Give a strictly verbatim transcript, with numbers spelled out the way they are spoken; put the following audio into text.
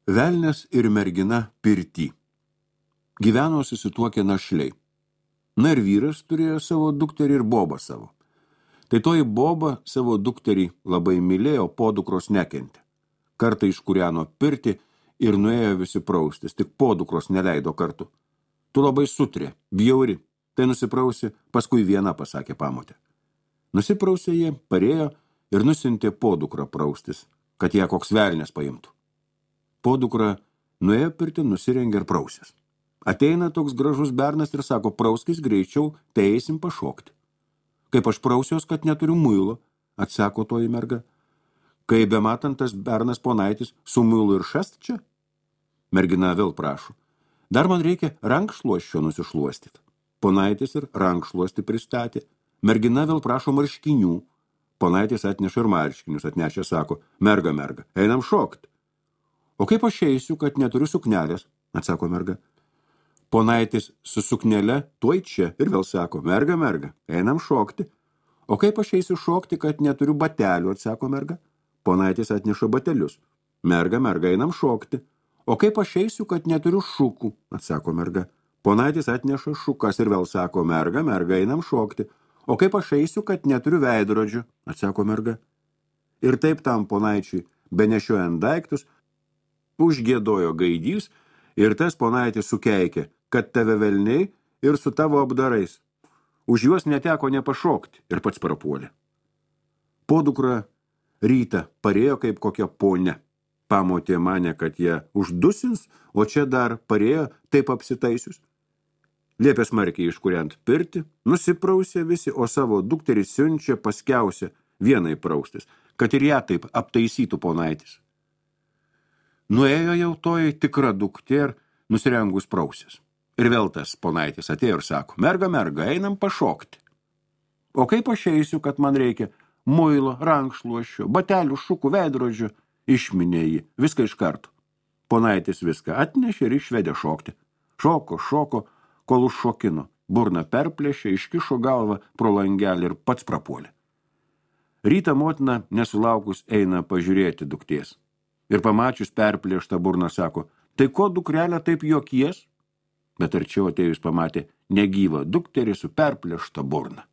Velnias ir mergina pirty. Gyveno susituokę našliai. Na ir vyras turėjo savo dukterį ir bobą savo. Tai toji boba savo dukterį labai mylėjo, podukros nekentė. Kartą iškūreno pirtį ir nuėjo visi praustis, tik podukros neleido kartu. Tu labai sutrė, bjauri, tai nusiprausi, paskui viena, pasakė pamotė. Nusiprausė jie, parėjo ir nusintė podukrą praustis, kad ją koks velnės paimtų. Podukra nuėjo pirtį, nusirengė ir prausės. Ateina toks gražus bernas ir sako, prauskis greičiau, tai eisim pašokti. Kaip aš prausios, kad neturiu muilo, atsako toji merga. Kai bematant tas bernas ponaitis, su muilu ir šast čia? Mergina vėl prašo. Dar man reikia rankšluosčio nusišluostyti. Ponaitis ir rankšluosti pristatė. Mergina vėl prašo marškinių. Ponaitis atneša ir marškinius, atnešė, sako, merga, merga, einam šokti. O kaip aš eisiu, kad neturiu suknelės, atsako merga. Ponaitis su suknele tuoj čia ir vėl sako, merga, merga, einam šokti. O kaip aš eisiu šokti, kad neturiu batelių, atsako merga. Ponaitis atneša batelius. Merga, merga, einam šokti. O kaip aš eisiu, kad neturiu šukų, atsako merga. Ponaitis atneša šukas ir vėl sako, merga, merga, einam šokti. O kaip aš eisiu, kad neturiu veidrodžių, atsako merga. Ir taip tam ponaičiui, benešiojant daiktus, užgiedojo gaidys ir tas ponaitis sukeikė, kad tave velniai ir su tavo apdarais. Už juos neteko nepašokti ir pats prapuolė. Podukra rytą parėjo kaip kokia ponia. Pamotė mane, kad jie uždusins, o čia dar parėjo taip apsitaisius. Liepė smarkiai iškuriant pirtį, nusiprausė visi, o savo dukterį siunčia paskiausia vienai praustis, kad ir ją taip aptaisytų ponaitis. Nuėjo jau toji tikra duktė ir nusirengus prausės. Ir vėl tas ponaitis atėjo ir sako, merga, merga, einam pašokti. O kaip aš eisiu, kad man reikia muilo, rankšluosčio, batelių, šukų, veidrodžių, išminė jį, viską iš karto. Ponaitis viską atnešė ir išvedė šokti. Šoko, šoko, kol užšokino. Burna perplėšė, iškišo galvą pro langelį ir pats prapuolė. Rytą motina nesulaukus eina pažiūrėti dukties. Ir pamačius perplėštą burną sako, tai ko dukrelė taip jokies? Bet arčiau atėjus pamatė negyvą dukterį su perplėšta burna.